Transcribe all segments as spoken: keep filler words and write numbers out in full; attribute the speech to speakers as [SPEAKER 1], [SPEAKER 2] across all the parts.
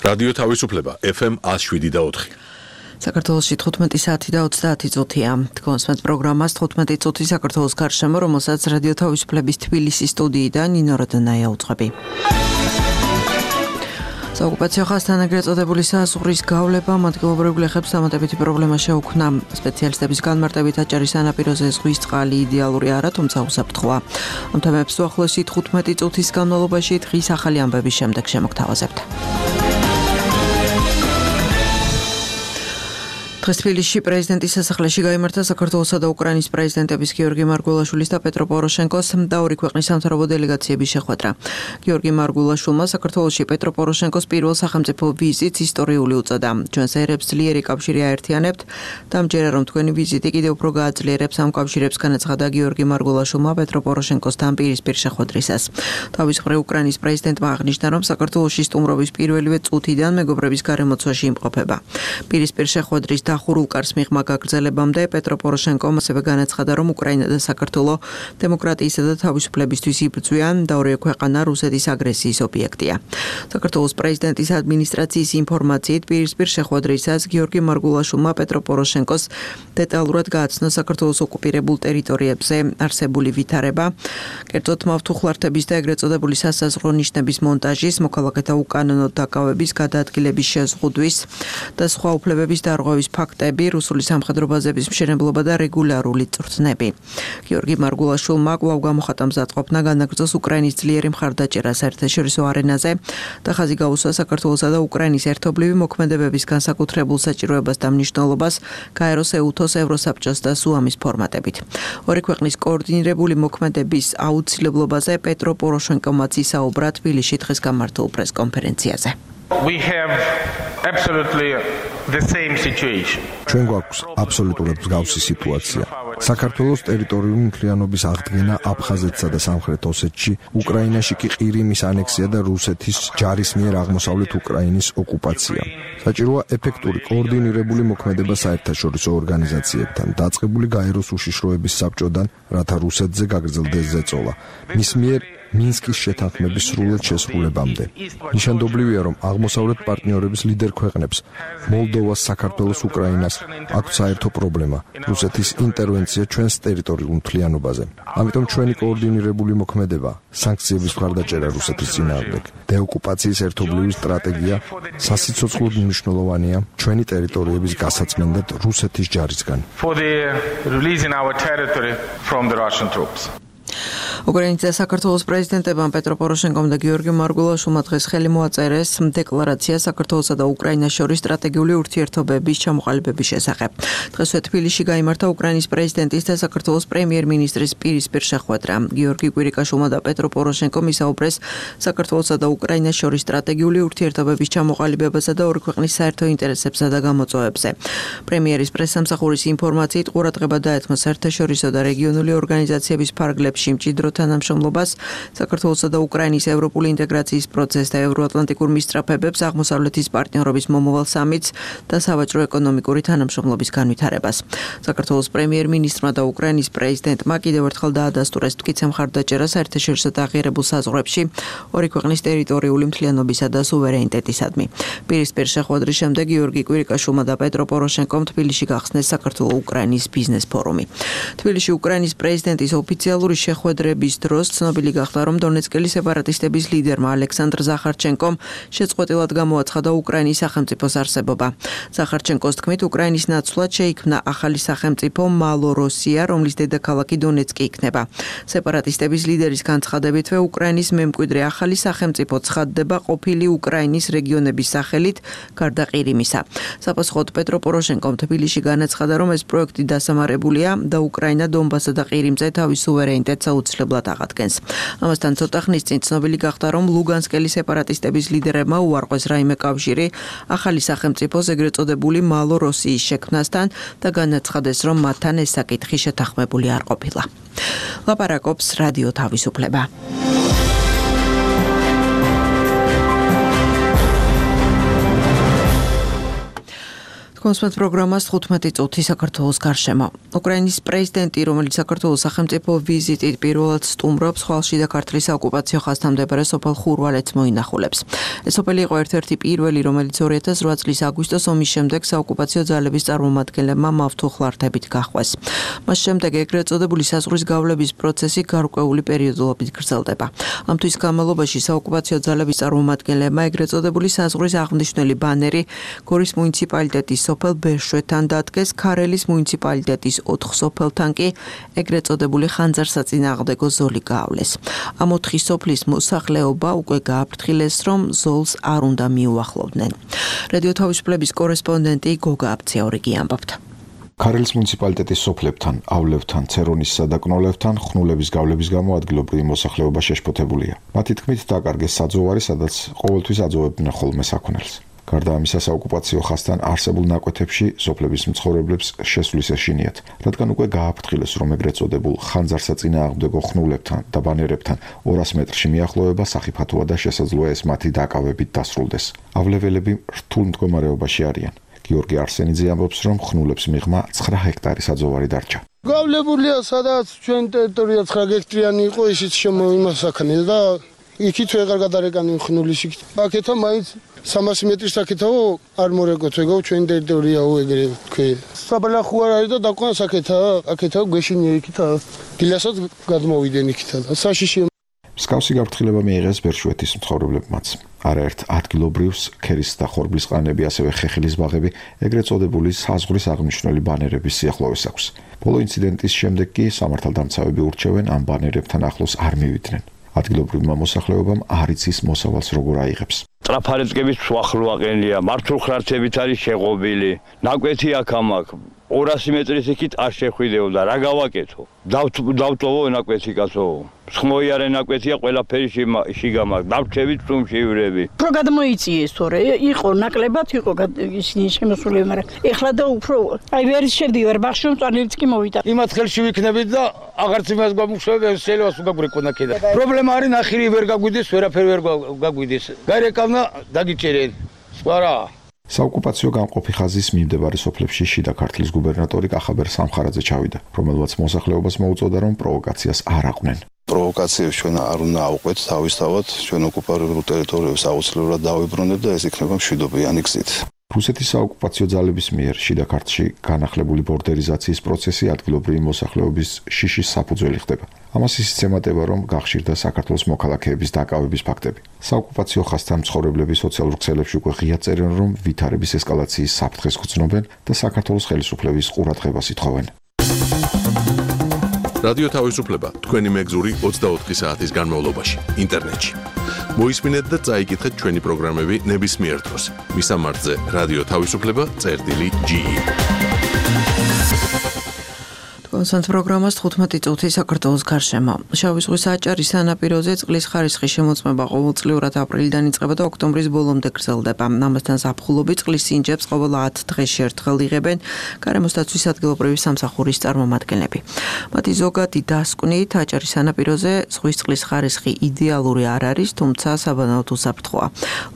[SPEAKER 1] რადიო თავისუფლება ეფ ემ one oh seven და four.
[SPEAKER 2] საქართველოში თხუთმეტი საათი და ოცდაათი წუთია. Თქვენს პროგრამას თხუთმეტი წუთი საქართველოს გარშემო, რომელსაც რადიო თავისუფლების თბილისის სტუდიიდან ნინო როდონაია უძღვები. საოკუპაციო ხაზთან ეგრეთ წოდებული საზღვრის გავლება მათგილობრივ გლეხებს დამატებითი პრობლემა შეუქმნა. სპეციალისტების განმარტებით აჭარის სანაპიროზე ზღვის წყალი იდეალური არა, თუმცა უსაფრთხოა. ამ თემებს უახლოესი თხუთმეტი წუთის განმავლობაში დღის ახალი ამბების შემდეგ შემოგთავაზებთ. დღეს თბილისში პრეზიდენტის სასახლეში გაიმართა საქართველოსა და უკრაინის პრეზიდენტების გიორგი მარგველაშვილის და პეტრო პოროშენკოს და ორი ქვეყნის სამთავრობო დელეგაციების შეხვედრა. გიორგი მარგველაშვილმა საქართველოში პეტრო პოროშენკოს პირველ სახელმწიფო ვიზიტს ისტორიული უწოდა. ჩვენს ერებს ძლიერი კავშირი აერთიანებთ და ამჯერა რომ თქვენი ვიზიტი კიდევ უფრო გააძლიერებს ამ კავშირებს, განაცხადა გიორგი მარგველაშვილმა პეტრო პოროშენკოსთან პირისპირ შეხვედრისას. თავის მხრივ უკრაინის პრეზიდენტმა აღნიშნა, რომ საქართველოში სტუმრობის პირველივე წუთიდან მეგობრების გარემოცვაში იმყოფება. პირისპირ შეხვედრის ახურულ კარს მიღმა გაგრძელებამდე პეტრო პოროშენკომ ასევე განაცხადა, რომ უკრაინა და საქართველო დემოკრატიისა და თავისუფლებისთვის იბრძვიან და ორივე ქვეყანა რუსეთის აგრესიის ობიექტია. საქართველოს პრეზიდენტის ადმინისტრაციის ინფორმაციით პირისპირ შეხვედრისას გიორგი მარგველაშვილმა პეტრო პოროშენკოს დეტალურად გააცნო საქართველოს ოკუპირებულ ტერიტორიებზე არსებული ვითარება, კერძოდ მავთუხლართების და ეგრეთ წოდებული სასაზღვრო ნიშნების მონტაჟის, მოქალაქეთა უკანონო დაკავების, გადაადგილების შეზღუდვის და სხვა უფლებების დარღვევის ფაქტები, რუსული სამხედრო ბაზების მშენებლობა და რეგულარული წვრთნები. გიორგი მარგველაშვილმა კვლავ გამოხატა მზადყოფნა განაგრძოს უკრაინის ძლიერი მხარდაჭერა საერთაშორისო არენაზე და ხაზი გაუსვა საქართველოსა და უკრაინის ერთობლივი მოქმედებების განსაკუთრებულ საჭიროებას და მნიშვნელობას გაეროს, ეუთოს, ევროსაბჭოს და სუამის ფორმატებით. ორი ქვეყნის კოორდინირებული მოქმედების აუცილებლობაზე პეტრო პოროშენკომაც ისაუბრა თბილისში დღეს გამართულ პრესკონფერენციაზე.
[SPEAKER 3] We have absolutely the same situation.
[SPEAKER 4] ჩვენ გვაქვს აბსოლუტურად მსგავსი სიტუაცია. საქართველოს ტერიტორიული მთლიანობის აღდგენა აფხაზეთსა და სამხრეთ ოსეთში, უკრაინაში კი ყირიმის ანექსია და რუსეთის ჯარის მიერ აღმოსავლეთ უკრაინის ოკუპაცია. საჭიროა ეფექტური კოორდინირებული მოქმედება საერთაშორისო ორგანიზაციებთან, დაწყებული გაეროს უშიშროების საბჭოდან, რათა რუსეთზე გაგრძელდეს ზეწოლა. მის მიერ მინსკის შეთანხმების სრულად შესრულებამდე. ნიშანდობლივია, რომ აღმოსავლეთ პარტნიორების ლიდერ ქვეყნებს, მოლდოვას, საქართველოს, უკრაინას აქვთ საერთო პრობლემა, რუსეთის ინტერვენცია ჩვენს ტერიტორიულ მთლიანობაზე. ამიტომ ჩვენი კოორდინირებული მოქმედება, სანქციების მხარდაჭერა რუსეთის წინააღმდეგ, დეოკუპაციის ერთობლივი სტრატეგია სასიცოცხლოდ მნიშვნელოვანია ჩვენი ტერიტორიების გასაცმენდად რუსეთის ჯარისგან.
[SPEAKER 2] უკრაინის და საქართველოს პრეზიდენტებმა პეტრო პოროშენკომ და გიორგი მარგველაშვილმა დღეს ხელი მოაწერეს დეკლარაცია საქართველოსა და უკრაინას შორის სტრატეგიული ურთიერთობების ჩამოყალიბების შესახებ. დღესვე თბილისში გაიმართა უკრაინის პრეზიდენტის და საქართველოს პრემიერ-მინისტრის პირისპირ შეხვედრა. გიორგი კვირიკაშვილმა და პეტრო პოროშენკომ ისაუბრეს საქართველოსა და უკრაინას შორის სტრატეგიული ურთიერთობების ჩამოყალიბებასა და ორი ქვეყნის საერთო ინტერესებსა და გამოწვევებზე. პრემიერის პრესსამსახურის ინფორმაციით ყურადღება დაეთმო საერთაშორისო და რეგიონული ორგანიზაციების ფარგლებში მჭიდრო თანამშრომლობას, საქართველოსა და უკრაინის ევროპული ინტეგრაციის პროცესს და ევროატლანტიკურ მისწრაფებებს, აღმოსავლეთის პარტნიორობის მომავალ სამიტს და სავაჭრო ეკონომიკური თანამშრომლობის განვითარებას. საქართველოს პრემიერ-მინისტრმა და უკრაინის პრეზიდენტმა კიდევ ერთხელ დაადასტურეს მტკიცე მხარდაჭერა საერთაშორისო აღიარებულ საზღვრებში ორი ქვეყნის ტერიტორიული მთლიანობისა და სუვერენიტეტისადმი. პირისპირ შეხვედრის შემდეგ გიორგი კვირიკაშვილმა და პეტრო პოროშენკომ თბილისში გახსნეს საქართველო-უკრაინის ბიზნეს ფორუმი. თბილისში უკრაინის პრეზიდენტის ოფიციალური შეხვედრების დროს ცნობილი გახდა, რომ დონეცკელი სეპარატისტების ლიდერმა ალექსანდრ ზახარჩენკომ შეწყვეტილად გამოაცხადა უკრაინის სახელმწიფოს არსებობა. ზახარჩენკოს თქმით, უკრაინის ნაცვლად შეიქმნა ახალი სახელმწიფო მალოროსია, რომლის დედაქალაქი დონეცკი იქნება. სეპარატისტების ლიდერის განცხადებითვე უკრაინის მემკვიდრე ახალი სახელმწიფო ცხადდება ყოფილი უკრაინის რეგიონების სახელით, გარდა ყირიმისა. საპასუხოდ პეტრო პოროშენკომ თბილისში განაცხადა, რომ ეს პროექტი დასამარებულია და უკრაინა დონბასსა და ყირიმზე თავის სუვერენიტეტს აუცილებლად აღადგენს. ამასთან ცოტა ხნის წინ ცნობილი გახდა, რომ ლუგანსკელი სეპარატისტების ლიდერებმა უარყვეს რაიმე კავშირი ახალი სახელმწიფოს ეგრეთ წოდებული მალოროსიის შექმნასთან და განაცხადეს, რომ მათთან ეს საკითხი შეთანხმებული არ ყოფილა. ლაპარაკობს რადიო თავისუფლება. კონსმეთ პროგრამას თხუთმეტი წუთი საქართველოს გარშემო. უკრაინის პრეზიდენტი, რომელიც საქართველოს სახელმწიფო ვიზიტით პირველად სტუმრობს, ხვალში და ქართლის ოკუპაციო ხაზთამდებარე სოფელ ხურვალეთს მოინახულებს. ეს სოფელი იყო ერთ-ერთი პირველი, რომელიც ორი ათას რვა წლის აგვისტოს ომის შემდეგ საოკუპაციო ძალების წარმომადგენლებმა მავთულხლართებით გაჰყვეს. მას შემდეგ ეგრეთ წოდებული საზღვრის გავლების პროცესი გარკვეული პერიოდულობით გრძელდება. ამ თვის განმავლობაში საოკუპაციო ძალების წარმომადგენლებმა ეგრეთ წოდებული საზღვრის აღნიშნული ბანერი გორის მუნიციპალიტეტის სოფელ ბერშვეთთან დადგეს, ქარელის მუნიციპალიტეტის ოთხ სოფელთან კი ეგრეთ წოდებული ხანძარსაწინააღმდეგო ზოლი გაავლეს. ამ ოთხი სოფლის მოსახლეობა უკვე გააფრთხილეს, რომ ზოლს არ უნდა მიუახლოვდნენ. რადიო თავისუფლების კორესპონდენტი გოგა აბციაურიგი ამბობდა.
[SPEAKER 4] ქარელის მუნიციპალიტეტის სოფლებთან,ავლევთან, ცერონისსა და კნოლევთან ხნულების გავლების გამო ადგილობრივი მოსახლეობა შეშფოთებულია. მათი თქმით, დაკარგეს საძოვარი, სადაც ყოველთვის აძოვებდნენ ხოლმე საქონელს. გარდა ამისა, საოკუპაციო ხაზთან არსებულ ნაკვეთებში სოფლების მცხოვრებლებს შესვლის ეშინიათ, რადგან უკვე გააფრთხილეს, რომ ეგრეთ წოდებულ ხანძარსაწინააღმდეგო ხნულებთან და ბანერებთან ორას მეტრში მიახლოება სახიფათოა და შესაძლოა ეს მათი დაკავებით დასრულდეს. ავლეველები რთულ მდგომარეობაში არიან. გიორგი არსენიძე ამბობს, რომ ხნულებს მიღმა ცხრა ჰექტარი საძოვარი დარჩა.
[SPEAKER 5] გავლებულია, სადაც ჩვენ ტერიტორია ცხრა ჰექტარიანი იყო, ისიც შემოიმასაქნეს და იქით ვეღარ გადარეკანი ხნულის იქით. აქეთა მაინც სამასი მეტრის საკეთაო არ მორეკოთ, ეგო ჩვენ ტერიტორიაო ეგრე თქვი. საბალახო არ არის და დაკვან საკეთა, აქეთა გვეშინია იქით. დილასაც გადმოვიდენ იქით და საშიში.
[SPEAKER 4] მსგავსი გაფრთხილება მიიღეს ბერშვეთის მცხოვრებლებმაც. არაერთ ადგილობრივს ქერის და ხორბლის ყანები, ასევე ხეხილის ბაღები ეგრეთ წოდებული საზღვრის აღნიშნული ბანერების სიახლოვეს აქვს. ბოლო ინციდენტის შემდეგ კი სამართალდამცავები ურჩევენ ამ ბანერებთან ახლოს არ მივიდნენ. ადგილობრივმა მოსახლეობამ არ იცის მოსავალს როგორ აიღებს.
[SPEAKER 6] ტრაფარეთკების სვახლო აყენია, მართულხლართებით არის შეღობილი. ნაკვეთი აქ ამაკ ორასი მეტრის იქით არ შეხვიდეოდა, რა გავაკეთო? დავწოვო ნაკვეთი კაცო. ხმოიარე ნაკვეთია, ყველაფერი შიგამაკ, დავჩევით წუმში ივრები.
[SPEAKER 7] უფრო გადმოიწიეს თორე, იყო ნაკლებად, იყო ისინი შემოსულები, მაგრამ ეხლა და უფრო აი ვერ შევდივარ ბაღში, რომ წვალიც კი მოვიდა.
[SPEAKER 5] იმათ ხელში ვიქნებით და აღარც იმას გამუშავებ, შეიძლება სუგაგვრეკონა კიდე. პრობლემა არის ნახირი ვერ გაგვიდეს, ვერაფერი ვერ გაგვიდეს. გარეკავნა დაგიჭერენ. სხვა რა.
[SPEAKER 4] საოკუპაციო გამყოფი ხაზის მიმდებარე სოფლებში შიდა ქართლის გუბერნატორი კახაბერ სამხარაძე ჩავიდა, რომელმაც მოსახლეობას მოუწოდა, რომ პროვოკაციას არ აყვნენ.
[SPEAKER 8] პროვოკაციებს ჩვენ არ უნდა ავყვეთ, თავისთავად ჩვენ ოკუპირებულ ტერიტორიებს აუცილებლად დავიბრუნებთ და ეს იქნება მშვიდობიანი გზით.
[SPEAKER 4] რუსეთის საოკუპაციო ძალების მიერ შიდა ქართლში განახლებული ბორდერიზაციის პროცესი ადგილობრივი მოსახლეობის შიშის საფუძველი ხდება. ამას ისიც ემატება, რომ გახშირდა საქართველოს მოქალაქეების დაკავების ფაქტები. საოკუპაციო ხაზთან მცხოვრებლები სოციალურ ქსელებში უკვე ღიად წერენ, რომ ვითარების ესკალაციის საფრთხეს გრძნობენ და საქართველოს ხელისუფლების ყურადღებას ითხოვენ.
[SPEAKER 1] რადიო თავისუფლება თქვენი მეგზური ოცდაოთხი საათის განმავლობაში ინტერნეტში. მოისმინეთ და წაიკითხეთ ჩვენი პროგრამები ნებისმიერ დროს. მისამართზე რადიო თავისუფლება წერტილი ჯი ი.
[SPEAKER 2] კონსანტ პროგრამას თხუთმეტი წუთი საქართველოს გარშემო. შავი ზღვის აჭარის სანაპიროზე წყლის ხარისხის შემოწმება ყოველწლიურად აპრილიდან იწყება და ოქტომბრის ბოლომდე გრძელდება. ამასთან ზაფხულობით წყლის სინჯებს ყოველ ათ დღეში ერთხელ იღებენ გარემოს დაცვის ადგილობრივი სამსახურის წარმომადგენლები. მათი ზოგადი დასკვნით აჭარის სანაპიროზე ზღვის წყლის ხარისხი იდეალური არ არის, თუმცა საბანაოდ უსაფრთხოა.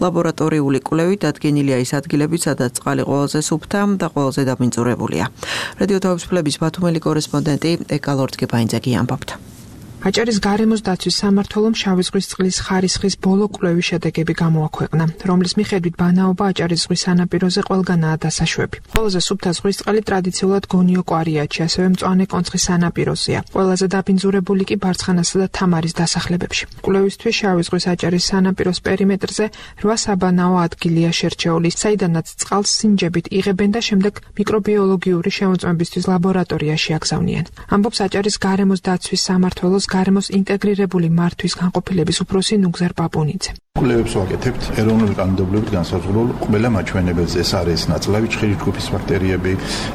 [SPEAKER 2] ლაბორატორიული კვლევით დადგენილია ის ადგილები, სადაც წყალი ყველაზე სუფთა და ყველაზე დაბინძურებულია. რადიო თავისუფლების ბათუმელი კორესპონდენტი ეკალორდ გებაინძაგი ამბობდა.
[SPEAKER 9] აჭარის გარემოს დაცვის სამმართველომ შავი ზღვის წყლის ხარისხის ბოლო კვლევის შედეგები გამოაქვეყნა, რომლის მიხედვით ბანაობა აჭარის ზღვის სანაპიროზე ყველგანაა დასაშვები. ყველაზე სუფთა ზღვის წყალი ტრადიციულად გონიო კვარიატში, ასევე მწვანე კონცხის სანაპიროზეა. ყველაზე დაბინძურებული კი ბარცხანასა და თამარის დასახლებებში. კვლევისთვის შავი ზღვის აჭარის სანაპიროს პერიმეტრზე რვა საბანაო ადგილია შერჩეული, საიდანაც წყალს სინჯებით იღებენ და შემდეგ მიკრობიოლოგიური შემოწმებისთვის ლაბორატორიაში აგზავნიან. ამბობს აჭარის გარემოს დაცვის სამმართველოს გარემოს ინტეგრირებული მართვის განყოფილების უფროსი ნუგზარ პაპუნიძე.
[SPEAKER 10] კვლევებს ვაკეთებთ ეროვნული კანონმდებლობით განსაზღვრულ ყველა მაჩვენებელზე. ეს არის ნაწლავი ჭხირი ჯგუფის ბაქტერიები,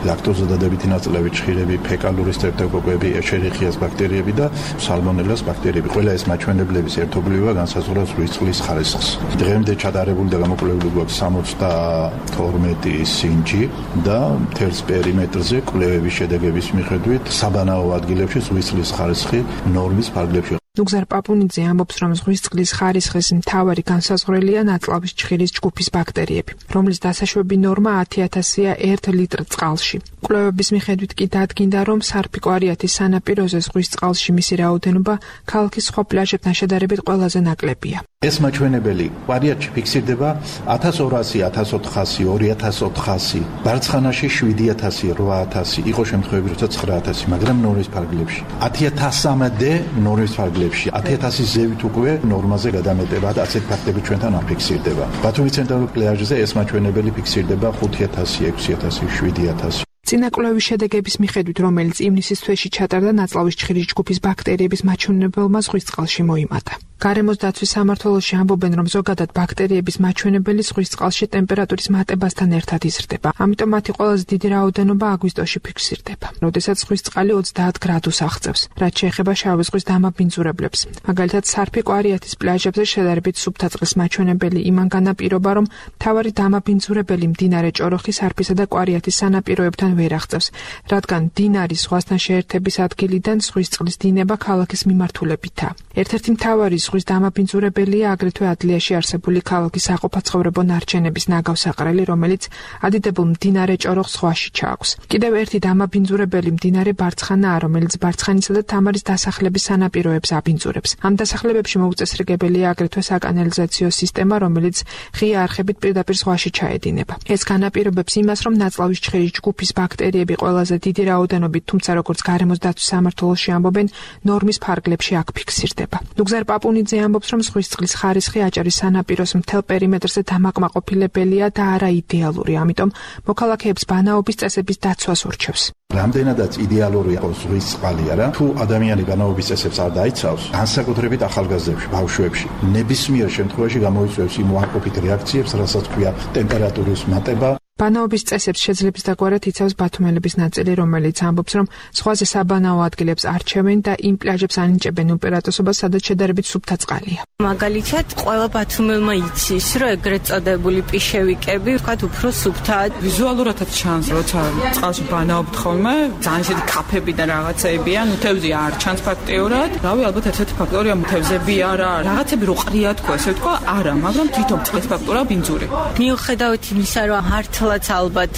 [SPEAKER 10] ლაქტოზადადებითი ნაწლავი ჭხირები, ფეკალური სტრეპტოკოკები, ეშერიხიას ბაქტერიები და სალმონელას ბაქტერიები. ყველა ეს მაჩვენებლების ერთობლივობა განსაზღვრავს ზღვის წყლის ხარისხს. დღემდე ჩადარებული და გამოკვლეული გვაქვს სამოცდათორმეტი სინჯი და მთელს პერიმეტრზე კვლევების შედეგების მიხედვით საბანაო ადგილებში ზღვის წყლის ხარისხი ნორმის ფარგლებში
[SPEAKER 9] ნუგზარ პაპუნიძე ამბობს, რომ ზღვის წყლის ხარისხის მთავარი განსაზღვრელია ნაწლავის ჭხირის ჯგუფის ბაქტერიები, რომლის დასაშვები ნორმა ათი ათასია ერთ ლიტრ წყალში. კვლევების მიხედვით კი დადგინდა, რომ სარფიკო-არიათის სანაპიროზე ზღვის წყალში მისი რაოდენობა ქალაქის სხვა პლაჟებთან შედარებით ყველაზე ნაკლებია.
[SPEAKER 10] ეს მაჩვენებელი კვარიატში ფიქსირდება ათას ორასი, ათას ოთხასი, ორი ათას ოთხასი, ბარცხანაში შვიდი ათასი, რვა ათასი, იყო შემთხვევები, როცა ცხრა ათასი, მაგრამ ნორმის ფარგლებში. ათი ათასამდე ნორმის ფარგლებში, ათი ათასის ზევით უკვე ნორმაზე გადამეტება და ასეთ ფაქტები ჩვენთან არ ფიქსირდება. ბათუმის ცენტრალურ პლაჟზე ეს მაჩვენებელი ფიქსირდება ხუთი ათასი, ექვსი ათასი, შვიდი ათასი.
[SPEAKER 9] წინა კვლევის შედეგების მიხედვით, რომელიც ივნისის თვეში ჩატარდა, ნაწლავის ჭხირის ჯგუფის ბაქტერიების მაჩვენებელმა ზღვის წყალში მოიმატა. გარემოს დაცვის სამმართველოში ამბობენ, რომ ზოგადად ბაქტერიების მაჩვენებელი ზღვის წყალში ტემპერატურის მატებასთან ერთად იზრდება. ამიტომ მათი ყველაზე დიდი რაოდენობა აგვისტოში ფიქსირდება, როდესაც ზღვის წყალი ოცდაათ გრადუსს აღწევს, რაც შეეხება შავი ზღვის დამაბინძურებლებს. მაგალითად, სარფიკო-არიათის პლაჟებზე შედარებით სუფთა წყლის მაჩვენებელი იმან განაპირობა, რომ მთავარი დამაბინძურებელი მდინარე ჭოროხი სარფისა და კვარიათის სანაპიროებთან ვერ აღწევს, რადგან მდინარის ზღვასთან შეერთების ადგილიდან ზღვის წყლის დინება ქალაქის მიმართულებითაა. ერთ-ერთი მთავარი ზღვის დამაბინძურებელია აგრეთვე ადლიაში არსებული ქალაქის საყოფაცხოვრებო ნარჩენების ნაგავსაყრელი, რომელიც ადიდებულ მდინარე ჭოროხს ზღვაში ჩააქვს. კიდევ ერთი დამაბინძურებელი მდინარე ბარცხანაა, რომელიც ბარცხანისა და თამარის დასახლების სანაპიროებს აბინძურებს. ამ დასახლებებში მოუწესრიგებელია აგრეთვე საკანალიზაციო სისტემა, რომელიც ღია არხებით პირდაპირ ზღვაში ჩაედინება. ეს განაპირობებს იმას, რომ ნაწლავის ჭხირის ჯგუფის ბაქტერიები ყველაზე დიდი რაოდენობით, თუმცა როგორც გარემოს დაცვის სამმართველოში ამბობენ, ნორმის ფარგლებში აქ ფიქსირდება. ნუგზარ პაპუნიძე ამბობს, რომ ზღვის წყლის ხარისხი აჭარის სანაპიროს მთელ პერიმეტრზე დამაკმაყოფილებელია და არა იდეალური, ამიტომ მოქალაქეებს ბანაობის წესების დაცვას ურჩევს.
[SPEAKER 10] რამდენადაც იდეალური იყოს ზღვის წყალი არა, თუ ადამიანი ბანაობის წესებს არ დაიცავს, განსაკუთრებით ახალგაზრდებში, ბავშვებში, ნებისმიერ შემთხვევაში გამოიწვევს იმ უარყოფით რეაქციებს, რასაც ქვია ტემპერატურის მატება.
[SPEAKER 9] ბანაობის წესებს შეძლებს დაგვარად იცავს ბათუმელების ნაწილი, რომელიც ამბობს, რომ ზღვაზე საბანაო ადგილებს არჩევენ და იმ პლაჟებს ანიჭებენ უპირატესობას, სადაც შედარებით სუფთა წყალია.
[SPEAKER 11] მაგალითად, ყველა ბათუმელმა იცის, რომ ეგრეთ წოდებული პიშევიკები, ვთქვათ, უფრო სუფთაა.
[SPEAKER 12] ვიზუალურადაც ჩანს, როცა წყალში ბანაობთ ხოლმე, ძალიან ისეთი კაფები და რაღაცეებია, ნუთევზი არ ჩანს ფაქტიურად. რავი, ალბათ ერთ-ერთი ფაქტორია ნუთევზები არა, რაღაცები რო ყრია თქო, ესე ვთქვა, არა, მაგრამ თვითონ წყლის ფაქტორია ბინძური.
[SPEAKER 11] მიუხედავად იმისა, რომ მართლაც ალბათ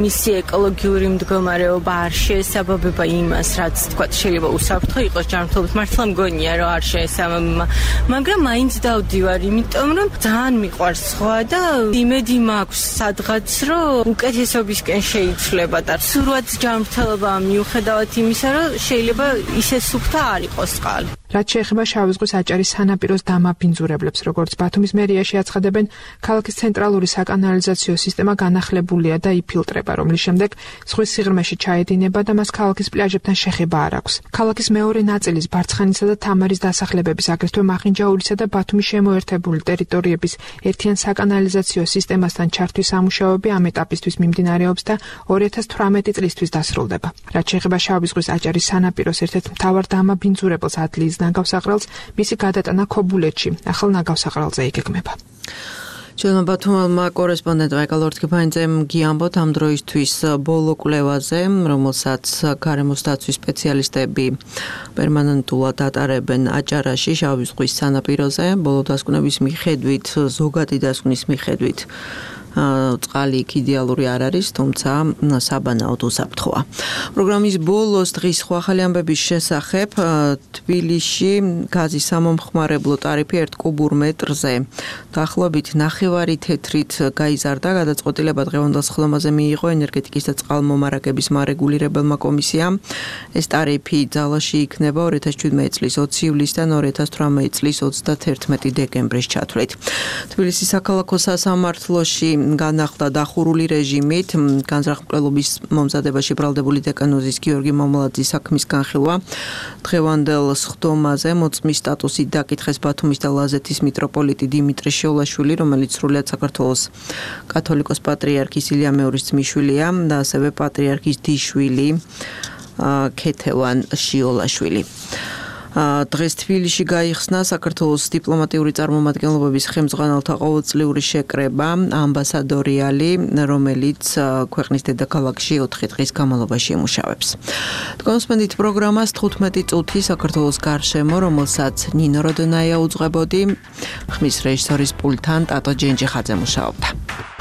[SPEAKER 11] მისი ეკოლოგიური მდგომარეობა არ შეესაბამება იმას, რაც თქვა შეიძლება უსაფრთხო იყოს ჯანმრთელობით, მართლა მგონია, რომ არ შეესაბამება, მაგრამ მაინც დავდივარ, იმიტომ რომ ძალიან მიყვარს ზღვა და იმედი მაქვს სადღაც, რომ უკეთესობისკენ შეიცვლება და სურვაც ჯანმრთელობა მიუხედავად იმისა, რომ შეიძლება ისე სუფთა არ იყოს წყალი.
[SPEAKER 9] რაც შეეხება შავი ზღვის აჭარის სანაპიროს დამაბინძურებლებს, როგორც ბათუმის მერიაში აცხადებენ, ქალაქის ცენტრალური საკანალიზაციო სისტემა განახლებულია და იფილტრება, რომლის შემდეგ ზღვის სიღრმეში ჩაედინება და მას ქალაქის პლაჟებთან შეხება არ აქვს. ქალაქის მეორე ნაწილის ბარცხანისა და თამარის დასახლებების, აგრეთვე მახინჯაურისა და ბათუმის შემოერთებული ტერიტორიების ერთიან საკანალიზაციო სისტემასთან ჩართვის სამუშაოები ამ ეტაპისთვის მიმდინარეობს და ორი ათას თვრამეტი წლისთვის დასრულდება. რაც შეეხება შავი ზღვის აჭარის სანაპიროს ერთ-ერთ მთავარ დამაბინძურებელს ადლიის ნაგავსაყრელს, მისი გადატანა ქობულეთში, ახალ ნაგავსაყრელზე იგეგმება.
[SPEAKER 2] ჩვენმა ბათუმელმა კორესპონდენტმა ეკალორთქიფაინძემ გიამბოთ ამ დროისთვის ბოლო კვლევაზე, რომელსაც გარემოს დაცვის სპეციალისტები პერმანენტულად ატარებენ აჭარაში, შავი ზღვის სანაპიროზე. ბოლო დასკვნების მიხედვით, ზოგადი დასკვნის მიხედვით წყალი იქ იდეალური არ არის, თუმცა საბანაოდ უსაფრთხოა. პროგრამის ბოლოს დღის სხვა ახალი ამბების შესახებ თბილისში გაზის სამომხმარებლო ტარიფი ერთ კუბურ მეტრზე დაახლოებით ნახევარი თეთრით გაიზარდა. გადაწყვეტილება დღევანდელ სხდომაზე მიიღო ენერგეტიკის და წყალმომარაგების მარეგულირებელმა კომისიამ. ეს ტარიფი ძალაში იქნება ორი ათას შვიდმეტი წლის ოცი ივლისიდან ორი ათას თვრამეტი წლის ოცდათერთმეტი დეკემბრის ჩათვლით. თბილისის საქალაქო სასამართლოში განახლდა დახურული რეჟიმით განზრახმკვლელობის მომზადებაში ბრალდებული დეკანოზის გიორგი მომლაძის საქმის განხილვა. დღევანდელ სხდომაზე მოწმის სტატუსით დაკითხეს ბათუმის და ლაზეთის მიტროპოლიტი დიმიტრი შეულაშვილი, რომელიც სრულიად საქართველოს კათოლიკოს პატრიარქის ილია მეორის ძმისშვილია და ასევე პატრიარქის დიშვილი ქეთევან შიოლაშვილი. დღეს თბილისში გაიხსნა საქართველოს დიპლომატიური წარმომადგენლობების ხელმძღვანელთა ყოველწლიური შეკრება ამბასადორიალი, რომელიც ქვეყნის დედაქალაქში ოთხი დღის განმავლობაში იმუშავებს. თქვენსმენდით პროგრამას თხუთმეტი წუთი საქართველოს გარშემო, რომელსაც ნინო როდონაია უძღვებოდი, ხმის რეჟისორის პულტთან ტატო ჯენჯიხაძე მუშაობდა.